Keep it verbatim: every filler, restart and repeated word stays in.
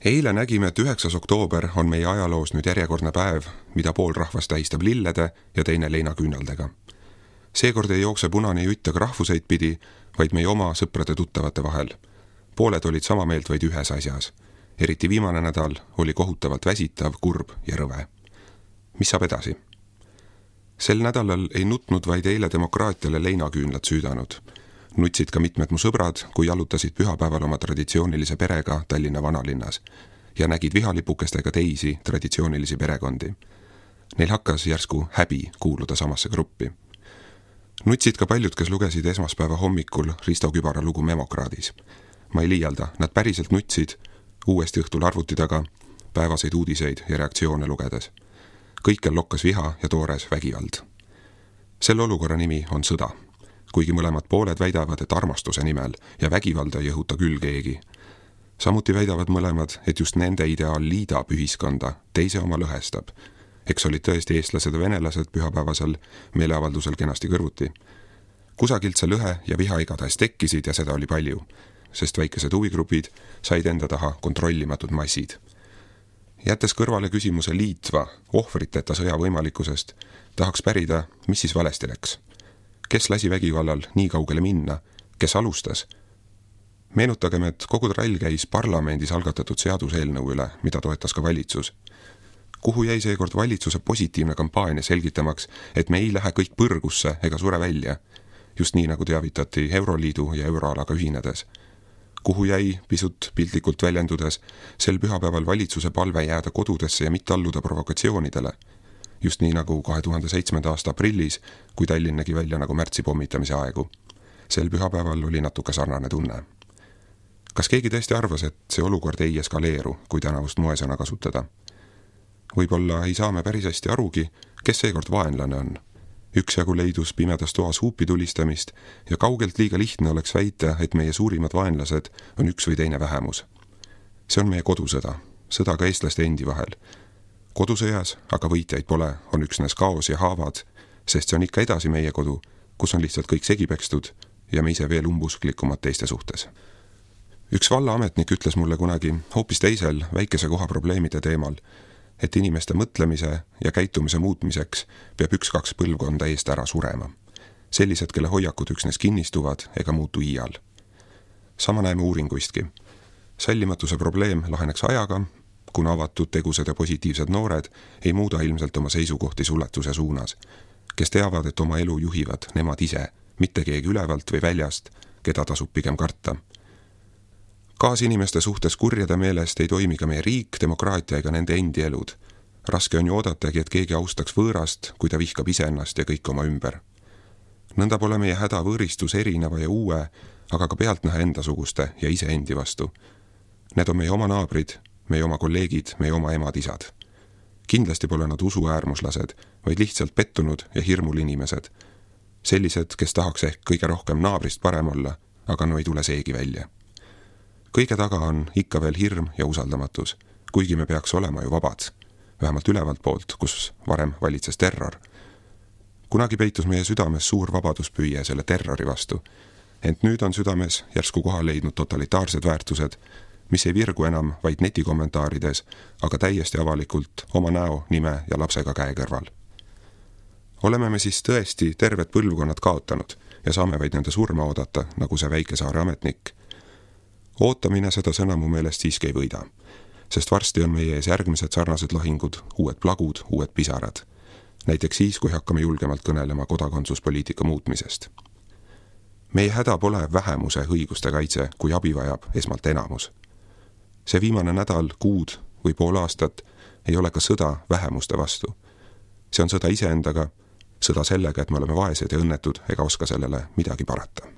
Eile nägime, et üheksas oktoober on meie ajaloos nüüd järjekordne päev, mida pool rahvast tähistab lillede ja teine leinaküünaldega. Seekord ei jookse punane jutt aga rahvuseid pidi, vaid meie oma sõprade-tuttavate vahel. Pooled olid sama meelt vaid ühes asjas. Eriti viimane nädal oli kohutavalt väsitav, kurb ja rõve. Mis saab edasi? Sel nädalal ei nutnud vaid eile demokraatiale leinaküünlad süüdanud. Nutsid ka mitmed mu sõbrad, kui jalutasid pühapäeval oma traditsioonilise perega Tallinna vanalinnas ja nägid vihalipukestega teisi traditsioonilisi perekondi. Neil hakkas järsku häbi kuuluda samasse gruppi. Nutsid ka paljud, kes lugesid esmaspäeva hommikul Risto Kübara lugu Memokraadis. Ma ei liialda, nad päriselt nutsid uuesti õhtul arvuti taga, päevaseid uudiseid ja reaktsioone lugedes. Kõikjal lokkas viha ja toores vägivald. Selle olukorra nimi on sõda. Kuigi mõlemad pooled väidavad, et armastuse nimel ja vägivalda ei õhuta küll keegi. Samuti väidavad mõlemad, et just nende ideaal liidab ühiskonda, teise oma lõhestab. Eks olid tõesti eestlased ja venelased pühapäevasel meeleavaldusel kenasti kõrvuti. Kusagilt see lõhe ja viha igatahes tekkisid ja seda oli palju, sest väikesed huvigrupid said enda taha kontrollimatud massid. Jättes kõrvale küsimuse liitva, ohvriteta sõja võimalikkusest, tahaks pärida, mis siis valesti läks. Kes lasi vägivallal nii kaugele minna? Kes alustas? Meenutagem, et kogu trall käis parlamendis algatatud seaduseelnõu üle, mida toetas ka valitsus. Kuhu jäi seekord valitsuse positiivne kampaania selgitamaks, et me ei lähe kõik põrgusse ega sure välja, just nii nagu teavitati Euroliidu ja euroalaga ühinedes. Kuhu jäi, pisut piltlikult väljendudes, sel pühapäeval valitsuse palve jääda kodudesse ja mitte alluda provokatsioonidele, just nii nagu kahe tuhande seitsmenda aasta aprillis, kui Tallinn nägi välja nagu märtsi pommitamise aegu. Sel pühapäeval oli natuke sarnane tunne. Kas keegi tõesti arvas, et see olukord ei eskaleeru, kui tänavust moesõna kasutada? Võib-olla ei saa me päris hästi arugi, kes seekord vaenlane on. Üksjagu leidus pimedas toas huupi tulistamist ja kaugelt liiga lihtne oleks väita, et meie suurimad vaenlased on üks või teine vähemus. See on meie kodusõda, sõda ka eestlaste endi vahel. Kodusõjas, aga võitjaid pole, on üksnes kaos ja haavad, sest see on ikka edasi meie kodu, kus on lihtsalt kõik segipekstud ja me ise veel umbusklikumad teiste suhtes. Üks vallaametnik ütles mulle kunagi hoopis teisel väikese koha probleemide teemal, et inimeste mõtlemise ja käitumise muutmiseks peab üks-kaks põlvkonda eest ära surema. Sellised, kelle hoiakud üksnes kinnistuvad ega muutu iial. Sama näeme uuringuistki. Sallimatuse probleem laheneks ajaga, kuna avatud tegused ja positiivsed noored ei muuda ilmselt oma seisukohti suletuse suunas, kes teavad, et oma elu juhivad nemad ise, mitte keegi ülevalt või väljast, keda tasub pigem karta. Kaasinimeste suhtes kurjade meelest ei toimi ka meie riik, demokraatia ega nende endi elud. Raske on ju oodatagi, et keegi austaks võõrast, kui ta vihkab iseennast ja kõik oma ümber. Nõnda pole meie häda võõristus erineva ja uue, aga ka pealtnäha endasuguste ja ise endi vastu. Need on meie oma naabrid, meie oma kolleegid, meie oma emad-isad. Kindlasti pole nad usuäärmuslased, vaid lihtsalt pettunud ja hirmul inimesed. Sellised, kes tahaks ehk kõige rohkem naabrist parem olla, aga no ei tule seegi välja. Kõige taga on ikka veel hirm ja usaldamatus, kuigi me peaks olema ju vabad, vähemalt ülevalt poolt, kus varem valitses terror. Kunagi peitus meie südames suur vabaduspüüe selle terrori vastu, ent nüüd on südames järsku kohal leidnud totalitaarsed väärtused, mis ei virgu enam vaid netikommentaarides, aga täiesti avalikult oma näo, nime ja lapsega käe kõrval. Oleme me siis tõesti terved põlvkonnad kaotanud ja saame vaid nende surma oodata, nagu see väikesaare ametnik. Ootamine seda sõna mu meelest siiski ei võida, sest varsti on meie ees järgmised sarnased lahingud, uued plagud, uued pisarad. Näiteks siis, kui hakkame julgemalt kõnelema kodakondsuspoliitika muutmisest. Meie häda pole vähemuse õiguste kaitse, kui abi vajab esmalt enamus. See viimane nädal, kuud või pool aastat ei ole ka sõda vähemuste vastu. See on sõda iseendaga, sõda sellega, et me oleme vaesed ja õnnetud ega oska sellele midagi parata.